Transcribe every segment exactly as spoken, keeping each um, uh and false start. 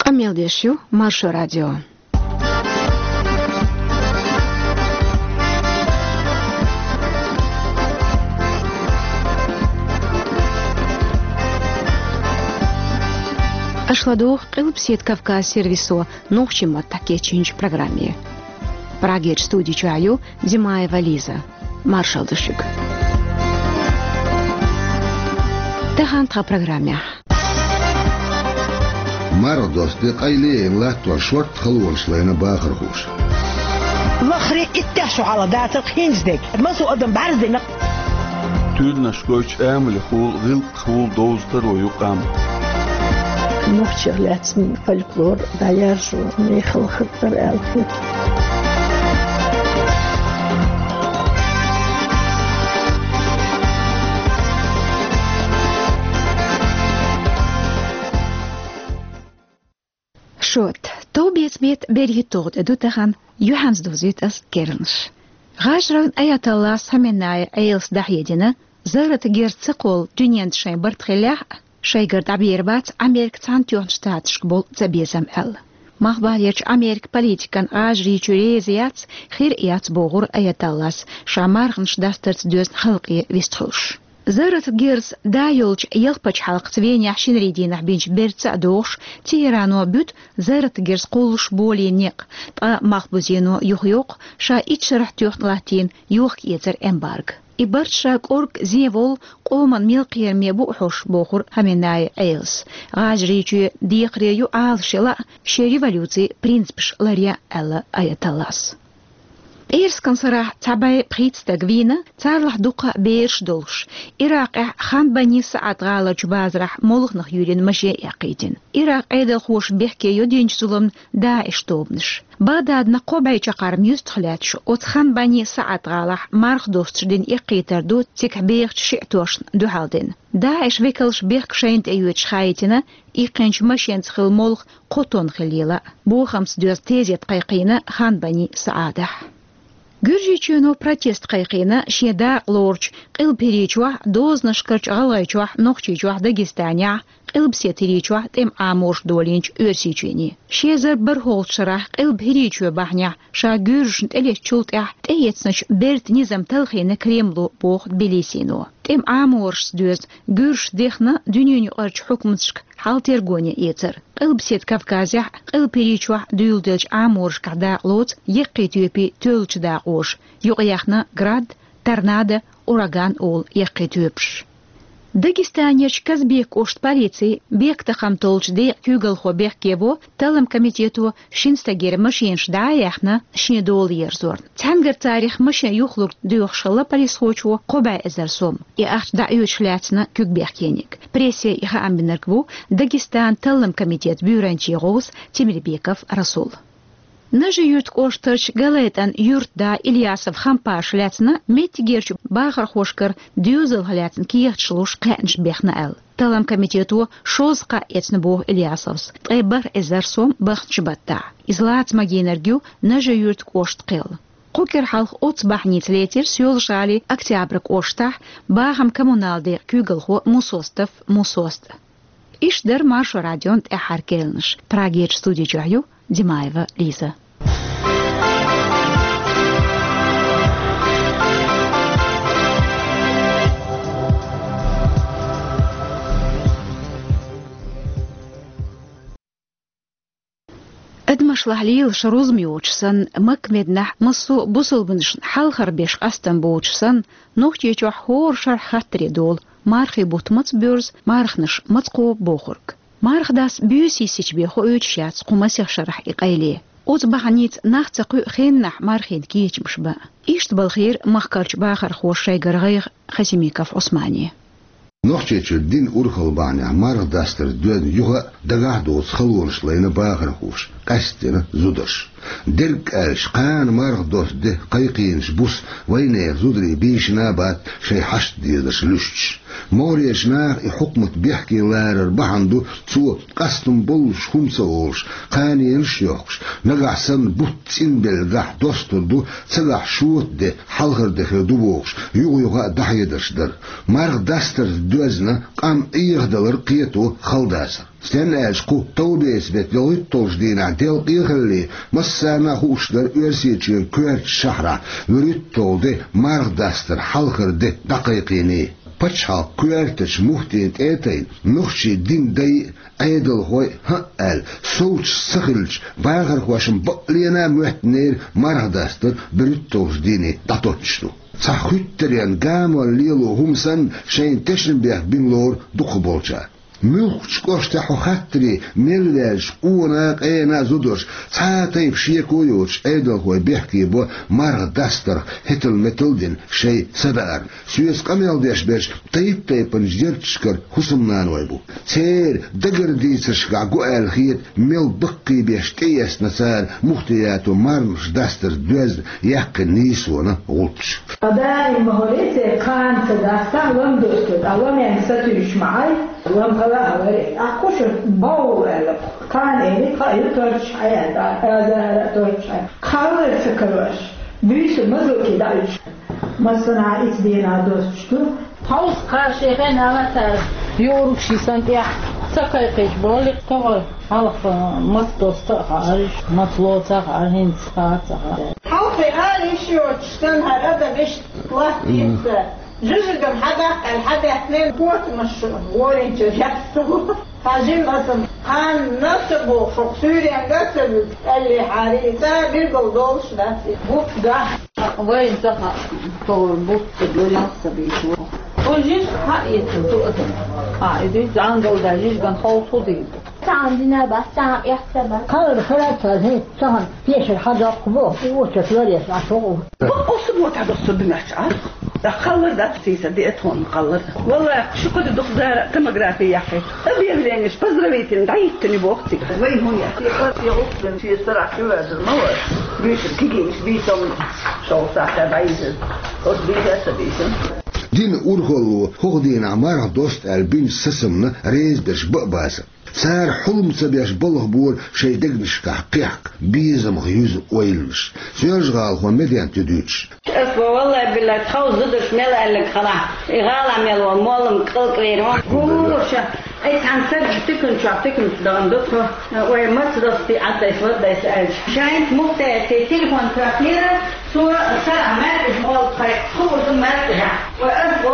Къамел деш ю Маршо радио. Аша ладугӀу Къилбаседа Кавказ сервисо нохчийн маттахь кечйинчу программе. Прагерчу студи чохь ю Димаева Лиза. Маршалла ду шуьга. Тахана тхан программехь. Марха досту де къайле а йина латтор шортта халонаш лайна бахархоша. Лахаре иттех шо хьала дацара хӀинца дерг. Масо адам бӀаьрзина. Туьланаш гойтуш амалехула, гӀиллакхехула довза таро ю къам. Нохчех лаьцна фольклор дӀаяржо мехала хаттар аьлла хета. Шот, товбеца бетта берхӀитталгӀа тӀе ду тахана, юьхьанца довзуьйту ас керланаш. ГӀажарийн Аятоллас Хаменеи Ӏелас дӀахьедина, зарратан герз ца кхолла дуьненна шайн барт хиллехь а, шайгара дӀабер бац Американ Цхьаьнатоьхначу Штаташка болу цабезам аьлла. Малхбалерчу Американ политикана ГӀажарийчоь реза яц, хир а яц бохура Аятоллас, ша марханаш дастарца доьзна халкъе вистхуьлуш. Зарратан герз да йолчу ялх пачхьалкхаца Венехь шинарин дийнахь бинчу бертаца а догӀуш, Тегерано буьту зарратан герз кхуллуш болийна некъ, ткъа Малхбузено юхайоккху ша итт шарахь тоьхна латтийна йохка-эцаран эмбарго. И барт ша кӀоргга зен волу къоман мел кхераме бу хьош, бохура Хаменеи Ӏелас. ГӀажарийчоь декхаре ю Ӏалашъяла а, шен революцин принципаш ларъян а, аьлла Аятоллас. ПӀераскан сарахь цхьа бӀе пхийтта стаг вийна, царах дуккха бераш долуш. Иракъехь Хан Бани СаӀад гӀаларчу базарахь молханах юьйлина машен эккхийтина. Иракъан Ӏедалхоша бехке йо динчу зуламна ДаӀиш тобанаш. Багдадна кхо бӀе чаккхарма юьстах лаьтташ оцу Хан Бани СаӀад гӀалахь марха достуш дина эккхийтар ду цигахь бехачу шиӀатошна дуьхьал дина. ДаӀиш векалш бехк шайна тӀеоьцуш хаийтина, иккхинчу машенца хилла молха кхо тонна хиллийла а. Бохамца доьзна тезет кхайкхийна Хан Бани СаӀадехь. Гуьржийчоьно протест кхайкхийна шен дакъа лоручу Къилба ХӀирийчохь, дозанашкарчу ГӀалгӀайчохь, Нохчийчохь, Дагестанехь, Къилбаседа ХӀирийчохь тӀеман Ӏаморша долийначу Оьрсийчоьне. Ши эзар бархӀолгӀачу шарахь Къилба ХӀирийчоь бахьанехь ша гуьржашна тӀелеттачул тӀаьхьа тӀеэцначу бертан низам талхийна Кремло, боху Тбилисино. ТӀеман Ӏаморшца доьзна гуьржаш дехна дуьненаюкъарчу хьукматашка хьал-тергоне эцар. Къилбаседа Кавказехь, Къилба ХӀирийчохь дуьйладеллачу Ӏаморшкахь дакъа лоцу яккхий тоьпийн тоьллачу дакъоша, юкъаяьхна «Град», «Торнадо», «Ураган» олу яккхий тоьпаш. Дагестанерчу Казбекан кӀоштан полицин бехктакхамтоллучу декъан куьйгалхо бехке во талламан комитето шина стагера машенаш дӀа а яьхна, шен дола ерзорна. Цхьаьнгара царах машен юхалург доьхуш хилла полисхочо кхо бӀе эзар сом. И ахча дӀаоьцуш лаьцна куьг бехкениг. Прессе и хаам бинарг ву Дагестанан талламан комитетан буьйранчийн гӀовс Темирбеков Расул. Нажи-Юьртан кӀоштарчу ГалайтӀан юьртда Ильясов Хампаша лаьцна меттигерчу бахархошкара доьзалх лаьцна кехаташ луш кхаьънаш бехна аьлла. Талламан комитето шозза кхаъ эцна, боху Ильясовс, ткъе бархӀ эзар сом баханчу баттахь. Иза лаца магийнарг ю Нажи-Юьртан кӀоштан кхел. Кху кӀира хьалха оццу бахьаница лецира Соьлжа-ГӀалин Октябрь кӀоштахь бахаман-коммуналан декъан куьйгалхо Мусостов Мусост. Иштта дара Маршо радион тӀаьххьара керланаш. Прагерчу студи чохь ю Димаева Лиза. Адамашлахь лелаш рузма йоцуш санна, Макка-Мединахь массо а бусулбанашна хьалхара беш къастам боцуш санна, Нохчийчохь хӀора шарахь хаттаре долу: мархийн бутт маца боьрзу, марханаш маца кхобу бохург. Марха дас буьйса йисича бен хоуьйтуш яц кху масех шарахь и къайле. Оцу бахьаница нах ца кхуьу хеннахь мархина кечамаш бан. Иштта балхийра махкарчу бахархоша шайгара гӀайгӀа Хасимиков Ӏусмане. Нохчийчуьра динан урхалла бахьанехь марха дастарца доьзна юха а дагахь а доцу халонаш лайна бахархоша, къаьсттина зударша. Дерриг аьлча, кхана марха досту де кхайкхийнарш буса вайнехан зударий бийшина а бац, шайн хьашт дезарш луьстуш. МогӀарерчу наха и хьукмат бехке ларар бахьана ду, цо, къастам боллуш хӀума ца олуш, кханенаш а йохкуш, нагахь санна бутт цӀинбеллачохь достур ду, цигахь шота де, хьалхара де хир ду бохуш, юха-юха а дӀахьедарш дар. Марха дастарца доьзна къам Ӏехадалар кхето хала дацар. Стенна аьлча, кху товбеца беттан йолхуьтталгӀачу дийнахь делкъе а хилале, массарна а хууш дара Оьрсийчоьнан коьртачу шахьарахь вуьрхӀитталгӀа де марха дастар хьалхара де дӀакхайкхийний. Пачхьалкхан коьртачу муфтина тӀе а тайна, нохчийн динан дай а, Ӏедалхой а, хӀаъ аьлла, совцуш ца хилча, бахархошна бакъ лена а моьттинера марха дастар берхӀитталгӀачу дийне дӀатоттуш ду. Цхьа хуьттаренна гамор лело хӀума санна, шайна тешнабехк бина лору дукхахболчара. Муьлххачу кӀоштахь хьо хаттаре мел ваьлча, къона а, къена а зударша, цхьа а тайпа шеко а йоцуш, Ӏедалхой бехке бо марха дастарх хӀетал-метал а дина шайн са даарна. Соьца къамел деш берш тайп-тайпанчу ярташкара хӀусамнаной бу. Церан дагара дийцаршкахь го аьлла хета, мел баккхийбеш тӀеэцна цара муфтиято марханаш дастарца доьзна яьккхина нийсонан гӀулчаш. Ткъа даим ма хӀоре церан кхана ца дастахь, лам досто, ткъа ламен сатуьйсуш ма Ӏай, лам хала а хьаларе. Ахь кху шуьга бовла аьлла, кхана элира, кхаъ ю торчахь Ӏай аьлла, азара а торчахь Ӏай. Кхаллар ца карош, буьйса мазлуки дӀа уьдуш. Массанхьа ицу дийнахь достуш ду. Хьовса кхара шен хенала цара юург ши сан тӀехь ца кхайкхийча боху лекха товар. Хьалха маца доста а хаьара, маца лоца а хаьара, хӀинца хаа а ца хаьара. Хьалхе ала йиш йоцуш санна хӀара адам иштта латтийца. Жижиган хьадаккха аьлла хьадаьхкинера, котамаш шу воринчуьра яьсса ву. Хьажийла аса, кхана а ца бохуш, хӀокху суьйренга а ца вуьгуш, аьллехьара, и цӀа билггал долуш дац и бутт дахь. Вайна ца хаьа, товар бутт ца до, ялх ца бийца ву. Хьо жижиг хьаэцна ду аса. А, и дуьйцу зӀангал дай жижиган хьовса хӀун дийр ду? Цхьана дина бац, цхьана эхь ца бац. Кхаллар хиларца хӀинца цхьана пешар хьадоккху боху, и очерк ларъеш Ӏаш ву. Бакъ оцу бо тӀедоссур ду моьттуш Ӏа. Кхаллар дац, сийсара диъ тхуна кхаллар. Валлахь, шу кху де дукха дара томографи яьккхи. Объявлениеш поздравительный дӀахӀиттина боху цига. Вай хӀун яц? Шен къа, шен гӀуллакх бина, шен сарахь чу ваьзар ма вара. Буьйсур кигийнаш бийцам шовзткъа сахьтехь дӀайижира. Оцу бийца а ца бийцина. Динан урхалло хӀокху дийнахь марха доста аьлла бинчу сацамна реза берш бан а бацара. Цара хьулам ца беш балхабора шайн дегнашкахь кхехка, безамах юьзу ойланаш. Соьлжа-ГӀалахо Медент ю дуьйцуш. Ас бо, валлай-биллай, тховса зударша мел аьлларг хала, и гӀала мел волу моллам кӀалкӀвер вон. Гуша, ай цхьана саг тикан чохь тиканца дахана ду тхо. Ой, маца достий, Ӏаддайса, ваддайса аьлча. Шайна мухтаьрций телефон тоьхнера, цо сарахь маьркӀажа молла тхай, хуур ду маьркӀажа. Ой, ас бо,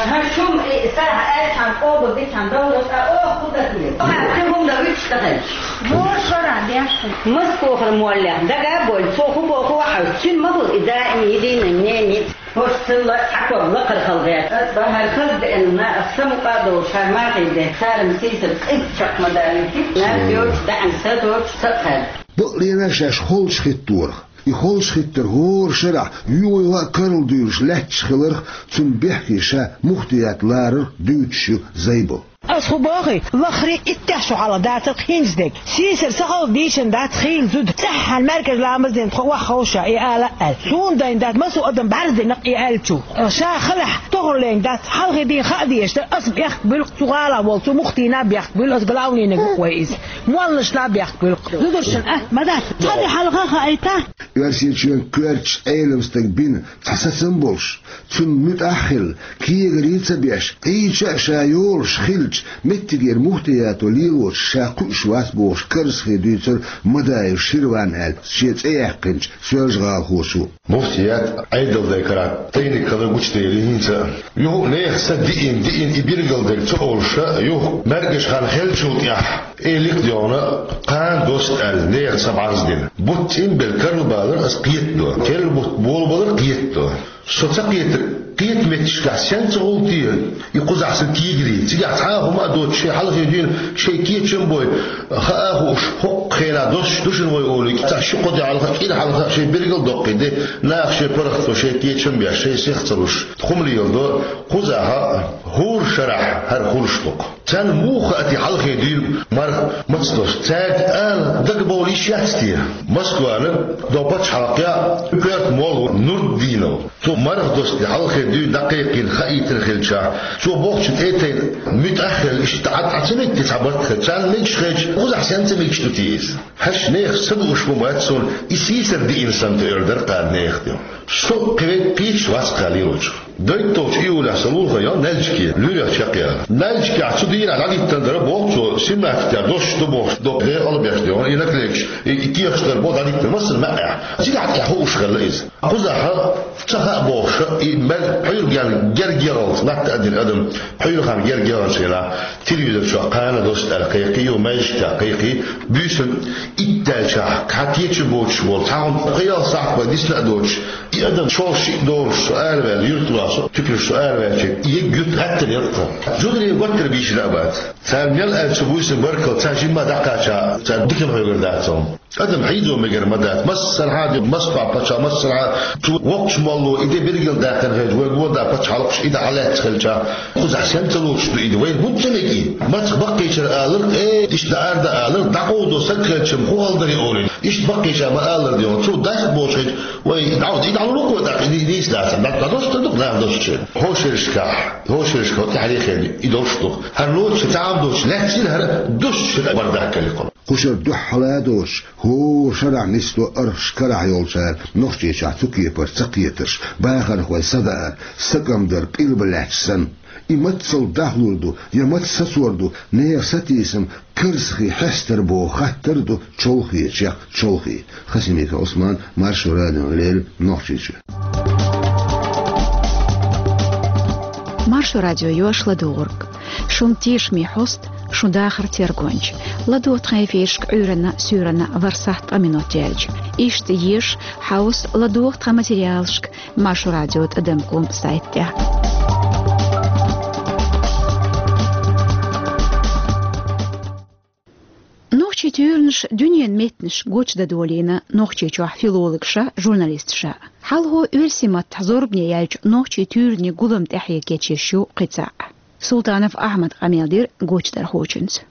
хӀара шума и сарахь аьллачхьана къобал дичхьана довлар, ткъа оха хӀун дан хила? Оха кхин хӀума дан вуьтуш дан хилча. Вон шарахь деш хила. Маскохара моллех дага а бойла, цо хӀун боху а хьовса, цуьнан ма хуьлу и даим единый мнение. ХӀорш цилла цхьа ког лакхара хала гӀерта. Ас бан хӀара хаза деана, ас самукъа а долуш, хӀара мархий де, царам сийсара кӀезиг чекх ма далийти, наб йоцуш, даьӀна са доцуш, ца кхаьрда. Бакълена шаьш холчу хӀитторах. И холчу хӀиттар хӀора шарахь юха-юха а карладуьйлуш лаьтташ хиларх, цунна бехке ша мухтият ларарх дуьйцуш ю Зайбал. Ас хӀун бохий, лахарий иттех шо хьалха дацара хӀинца дерг. Сийсара сан хала дийшина дац хийла зуда. ЦӀеххьана маьркӀажа ламаз дина тхо охьаховша и ала а аьлла. Суна дайна дац, массо а адам бӀаьрзе дина и аьллачух. Ша халахь тохар лерина дац, хьалхе дийна хаа дезаш дара, ас бехк буьллу, цу гӀалахь волу, цу мухтийна бехк буьллу, ас главнийниг ву вай иза. Молланашна бехк буьллу. Зударшна атта ма дац. Цхьа де хьалха хаийта. Оьрсийчоьнан коьртачу Ӏелам стага бина цхьа сацам болуш, цунна муьтӀахь а хилла, кегари ца беш, Ӏийча а ша йолуш хилча, меттигера мухтиято лелочух ша кхуьуш вац бохуш, карзахе дуьйцура Мадаев Ширван аьлла шен цӀе яьккхинчу соьлжагӀалахочо. Муфтият Ӏедалдайн карахь тайниг хилар гучудели хӀинца а. Юха а нехан са диъна, диъна и билгалдерг ца олуш а, юха маьркӀажа хан хиллачул тӀаьхьа, элик а доьгӀна, кхана доста аьлла, нехан са бӀарздина. Бутт цӀинбелла карлабалар ас кхетадо. Керла бутт болабалар кхетадо. Со ца кхетар, кхета меттигашкахь сенца гӀуллакх и кхузахь сан кегари? Цигахь цхьа а ХӀума а доцуш, шайн хьалхе дуьйна шайн кечам бой, хаа а хууш, хӀокху хенахь доссуш ду шуна вай олий, цхьа ши-кхо де хьалха, кӀира хьалха шайн билгал доккхий де, наха шайн паргӀато шайн кечам беш, шайн сих ца луш, хӀума леладо, кхузахь а, хӀора шарахь хӀара хуьлуш ду-кх. Царна муха хаьа те хьалхе дуьйна марха маца доссуш? Цаьрга ала дагабовла йиш яц те? Москвана до пачхьалкхехь коьрта молла ву Нурдинов. Цо марха доссуш хьалхе дуьйна дӀакхайкхийна хаийтина хилчахь, цо бохучу тӀе а тайна, муьтӀахь а хилла, иштта дӀа, дӀа ца мега те цхьа барт хилча, царна мегаш хилча, кхузахь сенца мегаш ду те иза? ХӀаьш нехан са дууш ма бац суна, и сийсара диъна санна тӀеуьйр дара кхана нехан тӀе. Со кхеве кхечу вац кхаллерочух. Дойтта долчу июлехь сан лулахе йо Нальчике, луьрехь чекхъяла. Нальчикехь цу дийнахь дӀадиттина дара боху цо, семнадцать доссуш ду бохуш, доккха декъал беш дехьа, и наклейкаш, и, и тешаш дара боху дӀадиттина массара маьӀӀехь. Цигахь тӀехь хууш хилла иза. Кхузахь ца хаьа бохуш, и мел пхьуьйрган герга егӀалц латта а дина адам, пхьуьйрхан герга егӀанчу хенахь, телевизор чохь кхана доссуш аьлла кхайкхий, ю маьждигехь кхайкхий, буьйсанна итт даьлчахь, кхин кечам боцуш болу, цхьа хӀума кхин ялх сахьт бен дисна а доцуш, и адам шолгӀа шиъ долуш со араваьлла, юьртара со туьканаш со араваьлча, и егга юьрт гӀаттар яра тхан. Жударий готтар бийшина а бац. Цара мел аьлча буьйсанна баркалла, цхьа жимма дӀакхача, цара диканна хьоьгур дац хьуна. Адам хьийзо мегар ма дац. Массархьа а ду, Москва пачхьалкх, массархьа а цу воккхачу молло и де билгалдаьккхина хилча, вай гонда пачхьалкхаш и де хьалаьцна хилча, кхузахь сенца лоцуш ду и де? Вайна хӀунда ца мега и? Маца баккхийчара алар, э, иштта даар дан алар, дӀакъовдо саг хилча-м хӀун хала дарий олий. Иштта баккхийчара ма алар де хьуна. Цо дайх бохуш хилча, вай, и дӀа, и дӀа лур ву-кх вай тӀаккха, и, и нийса дац, дӀа, дӀадоссуш ду-кх наха доссучеран. ХӀокху шерашкахь, хӀокху шерашкахь тӀаьхьарий хенахь и долуш ду-кх. ХӀара лоцуш цхьа а доцуш лаьцна хӀара, доссуш хӀара бардак хилла-кх. Кху шарахь дуьххьара а доцуш, хӀора шарахь нисдо архаш карахь йолчара Нохчийчохь цу кепара ца кхетарш, бахархой садаар, сакӀам дар къилба лаьтташ санна. И мацалла дахлур ду, я маца сацор ду, нехан сатийсам карзахий хьестар боху хаттар а ду чолхечех чолхе. Хасимиков Ӏусман, Маршо радиона леррина, Нохчийчоь. Маршо радио ю аш ладугӀург. Шун тешаме хьоста, шун дахар тергонча. ЛадогӀа тхан эфирашка Ӏуьйранна, суьйранна ворхӀ сахьт ткъа минот яьлча. Иштта еша, хьовса, ладогӀа тхан материалашка Маршо радио тӀадам ком сайта тӀехь. Нохчийн туьйранаш дуьненан меттанаш гочдан долийна Нохчийчохь филологаша, журналисташа. Хьалхо оьрсийн маттахь зорбане яьллачу нохчийн туьйранийн гулам тӀаьхье кечъеш ю кхин цхьаъ. Султанов Ахьмада къамел дира гочдархочуьнца.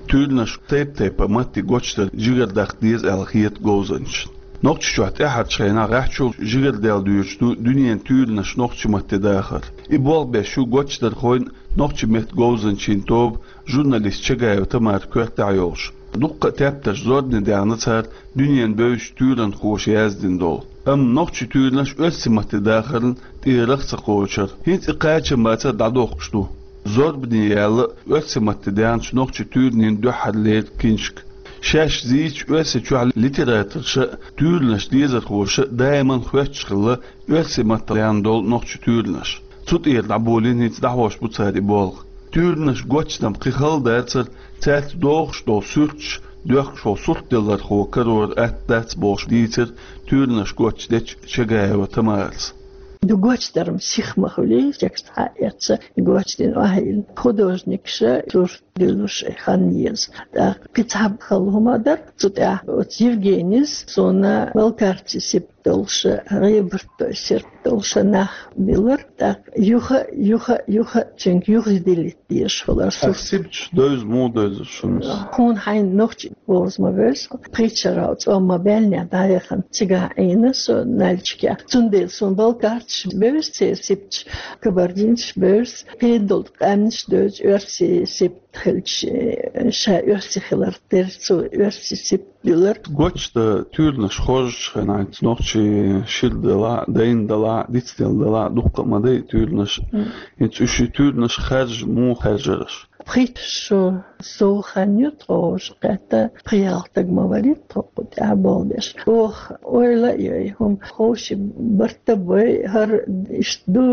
Туьйранаш тайп-тайпана матте гочдар жигардаха деза аьлла хета говзанчашна. Нохчийчохь тӀаьххьарчу хенахь гӀаьхчул жигардаьлла доьдуш ду дуьненан туьйранаш нохчийн матте дахар. И болх беш ю гочдархойн, нохчийн меттан говзанчийн тоба, журналист Чагаева Тамара коьртехь йолуш. Дуккха а тептарш зорбане даьхна цара дуьненан бевзачу туьйранхоша яздина долу. Амма нохчийн туьйранаш оьрсийн матте дахарна тӀера рагӀ ца кхочура. ХӀинца и кхачам бацара дӀадохкуш ду. Зорбане яьлла оьрсийн матте даьхначу нохчийн туьйранийн дуьххьарлера киншка. Шаьш зийча Оьрсийчохь литераторша а, туьйранаш дезархоша а даиман хоьттуш хилла оьрсийн маттахь даьхна долу нохчийн туьйранаш. Цу тӀера дӀаболийна, хӀинца дӀахьош бу цара и болх. Туьйранаш гочдан кхин хала дацара, цаьрца догӀуш долу суьрташ доьхкуш волу суртделлархо карор атта дац бохуш дийцира туьйранаш гочдечу Чагаева Тамарас. Ду гочдар-м сиха ма хуьлий, текст хьаэца, гочдина охьайилла. Художникаша сурт дуьллуш хан еза. ТӀаккха кхин цхьа хала хӀума дара, цу тӀехь оцу Евгенис суна балкарчий сип долуша, гӀебарт дой сирт долуша нах биллар, тӀаккха юха, юха, юха цуьнга юхадилийта дезаш хилар. Ас сурт сибчу девза муха девза шуна? Хьуна хьайна нохчи бовза ма вевза, пхийтта шарал цӀом ма баьллинехь дӀаяхана цигахь Ӏийна со Нальчикехь. Цундела суна балкарчаш бевза церан сибчу, кабардинцаш бевза, кхин долу къаьмнаш девза оьрсийн сиб хилча, ша оьрси хилар тера, цо оьрси сиб дилар. Гочдан туьйранаш хоржучу хенахь, хӀинца нохчийн шира делахь а, дайна делахь а, дицделла делахь а, дуккха а ма дай туьйранаш. Мм. ХӀинца уьш и туьйранаш хаьржа муха хаьржира аша? Пхийтта шо сов хан ю тхо уьш кхетта, пхи-ялх стаг ма варий тхо кху тӀехь болх беш. Оха ойла а йой, хӀума ховший барт а бой, хӀара иштта ду,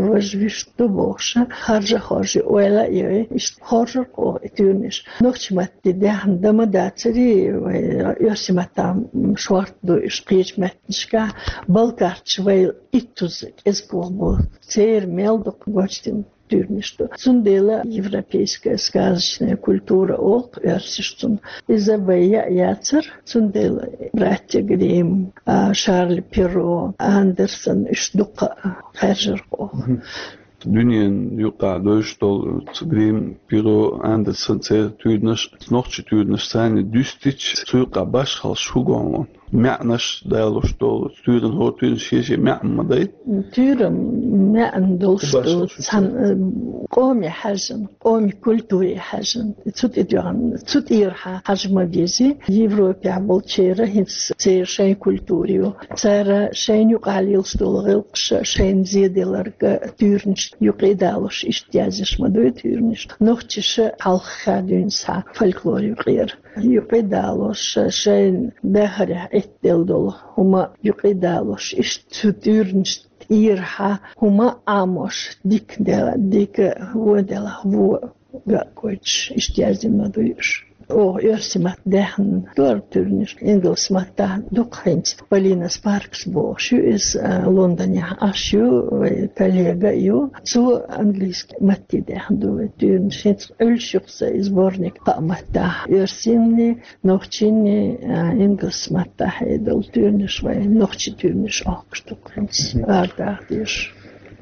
важа вуьшта ду бохуша, харжа а хоржий, ойла а йой, иштта хоржура оха и туьйранаш. Нохчийн матте даьхна дан ма дацарий, вай оьрсийн маттахь шортта ду уьш кхечу меттанашкахь, балкарчаш вай иттуза кӀезиг болх бу, церан мел дукха гочдина. туьрнаш ду. Цундела европейская сказочная культура олу оьрсаша цунах. Иза вай яа яцара, цундела братья Гримм, а, Шарль Перро, Андерсен, уьш дукха хаьржира оха. Дуьненан юкъахь девзаш долу цу Гримм, Перро, Андерсен, церан туьйранаш, нохчийн туьйранаш санна дуьстича, цу юкъахь башхаллаш хӀун гуш ду? МаьӀнаш далош долу, туьйранна, хӀора туьйранна шен-шен маьӀна ма дай? Туьйранна маьӀна долуш ду, цхьана, э, къоме хьаьжжина, къоме культуре хьаьжжина. Цу тӀе доьгӀна, цу тӀера хьа-, хьажа ма вези. Европехь болчеран хӀинца церан шайн культура ю. Цара шайна юкъахь лелаш долу гӀиллакхаш, шайна зеделларг, туьйранаш юкъе а далош, иштта язъеш ма ду и туьйранаш. Нохчаша хьалха дуьйна схьа фольклор юкъера. Юкъе а далош, шайна дахарехь Ӏиттаделла долу хӀума юкъе а далош, иштта цу туьйранаш тӀера хьа хӀума а Ӏамош, дика де-, дика вон делахь вон гойтуш, иштта язйина ма ду уьш. Оха оьрсийн матта даьхна дара туьйранаш, ингалс маттахь дукха хӀинца. Полина Спаркс бохуш ю иза, а, Лондонехь Ӏаш ю, вай коллега а ю. Цо английски матте даьхна ду вай туьйранаш. ХӀинца Ӏуьллуш ю-кх сан и сборник кхаа маттахь: оьрсийнни, нохчийнни, а, ингалс маттахь а долу туьйранаш, вай нохчийн туьйранаш охкуш ду-кх хӀинца, арадаха дезаш.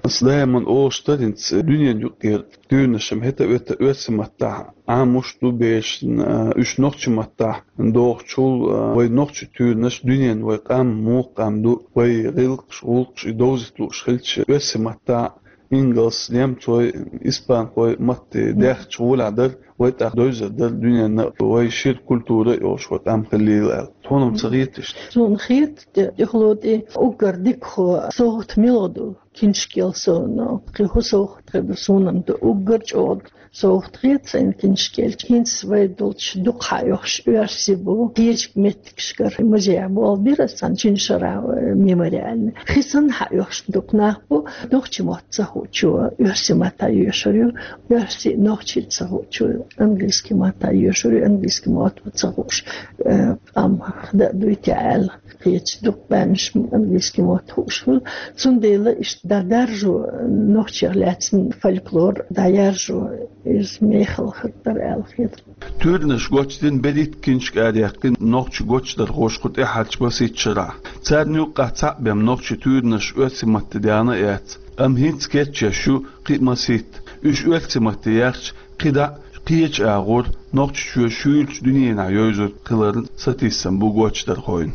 Ас даиман олуш дара хӀинца дуьненан юкъера туьйранаш-м хӀета а, вета а оьрсийн маттахь Ӏамош ду берашна, а, уьш нохчийн маттахь дохучул, а, вай нохчийн туьйранаш дуьненна вай къам муха къам ду, вай гӀиллакхаш, гӀуллакхаш и довзийта лууш хилча, оьрсийн маттахь ингалс, немцой, испанхой матте даьхча гӀолехь дара, вай тӀаккха девзар дара дуьненна вай шира культура а йолуш вай къам хилийла аьлла. Тхуна-м ца хета иштта? Суна хета, тӀе-, тӀехула тӀе уггар дикахо совгӀат мила ду, киншкел совгӀат, кхин хӀун совгӀат хир ду, суна-м ду уггар чӀогӀа совгӀат хета сайна киншкел. ХӀинца вай долчу дукха хьаоьхуш оьрсий бу, кхечу меттигашкара музейхь болх бира ас цхьана Чиншара, э, мемориальный. Хи санна хьаоьхуш дукха нах бу, нохчийн мотт ца хуучо оьрсийн маттахь йоьшур ю, оьрсийн нохчийн ца хуучо английский маттахь йоьшур ю, английский мотт ца хууш, э, къам хада а дуй те аьлла. Кхечу дукха баьннаш английский мотт хууш хуьлу. Цундела иштта дӀадаржо, нохчех лаьцна фольклор дӀаяржо, иза мехала хир дара аьлла хета. Туьйранаш гочдина, берхӀитта киншка араяьккхина нохчийн гочдархоша кху тӀаьхьарчу масийтта шарахь. Царна юккъехь цхьаъ бен нохчийн туьйранаш оьрсийн матте даьхна а яц, амма хӀинца кечъеш ю кхин а масийтта. Уьш оьрсийн матте яьхча, кхидӀа а кхечу агӀор Нохчийчоь шуьйрачу дуьненахь йовзур хиларна сатийсам бу гочдархойн.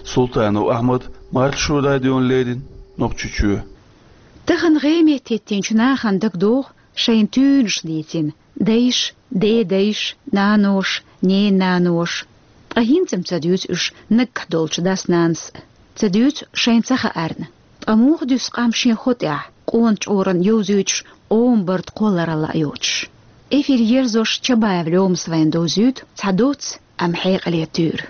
Султанов Ахьмад, Маршо радиона леррина, Нохчийчоь. Тахана гӀеметтеттинчу нахана дагадогӀу шайн туьйранаш дийцина дайша, дедайша, наноша, ненан наноша. Ткъа хӀинца-м ца дуьйцу уьш наггахь долчу дас-нанас а, ца дуьйцу шайн ца хаарна. Ткъа муха дуьсу къам шен хӀо тӀехь, къона чкъурана йовзуьйтуш, къоман барт кхолларалла а йоцуш? Эфир ерзош Чабаев Лёмас вайна довзуьйту цхьа доцца, амма хьекъале туьйра.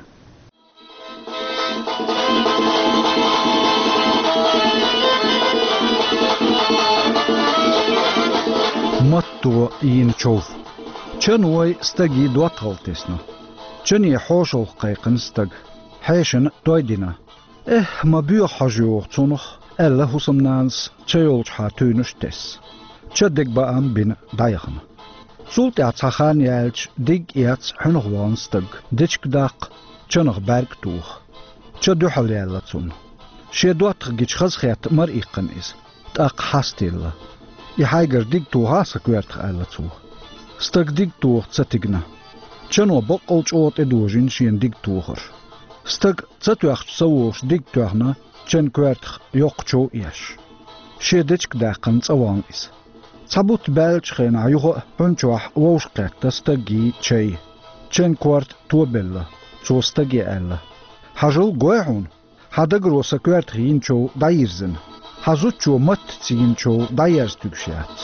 Матто йина чов. Чан вой стаге доттагӀалла тесна. Чане хьошалгӀа кхайкхина стаг. Хьешана той дина. Эхь, ма боьха хьожа йогӀу цунах, аьлла хӀусамнанас, ча йолчухьа туьйранаш тесна. Ча дегабаам бина дӀаяхана. Цул тӀаьхьа цхьа хан яьлча, диг а эцна, хьуьнах вахана стаг, дечиг даккха, чанах бӀаьрг а тоха. Ча дуьхьал яьлла цунна. Шен доттагӀа гича хазахетта мара иккхина иза, тӀаккха хьастаелла. И хьайгара диг тохахьа сан коьртах, аьлла цо. Стаг диг тоха ца тигна. Чано баккъал чӀогӀа тӀедожийна шена диг тохар. Стаг ца тоьхча ца вогӀуш диг тоьхна, чан коьртах йоккха чов еш. Шен дечиг даьккхина цӀа вахана иза. Цхьа бутт баьллачу хенахь юха а хьун чохь вовшахкхетта стаге чай. Чан корта тобелла. Цо стаге аьлла: «Хьажал, гой хьуна, хьан дагаро сан коьртах йина чов дӀайирзина. Хьан зудчо маттаца йина чов дӀаерза туьгуш яц».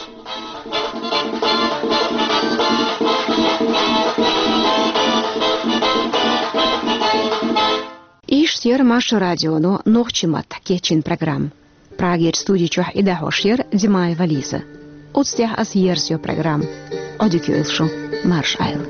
Иштта яра Маршо радионо нохчийн маттахь кечйина программа. Прагерчу студи чохь и дӀахьош яра Димаева Лиза. Оцу тӀехь аса ерзайо программа. Ӏодика йойла шу, марша Ӏойла.